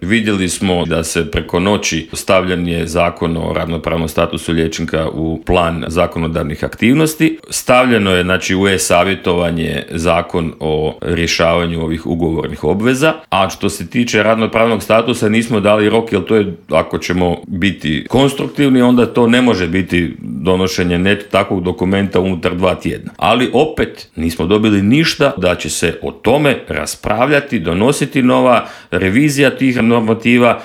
Vidjeli smo da se preko noći stavljen je Zakon o radnopravnom statusu liječnika u plan zakonodavnih aktivnosti. Stavljeno je u e-savjetovanje Zakon o rješavanju ovih ugovornih obveza, a što se tiče radnopravnog statusa nismo dali rok, jer to je, ako ćemo biti konstruktivni, onda to ne može biti donošenje takvog dokumenta unutar 2 tjedna. Ali opet nismo dobili ništa da će se o tome raspravljati, donositi nova revizija tih normativa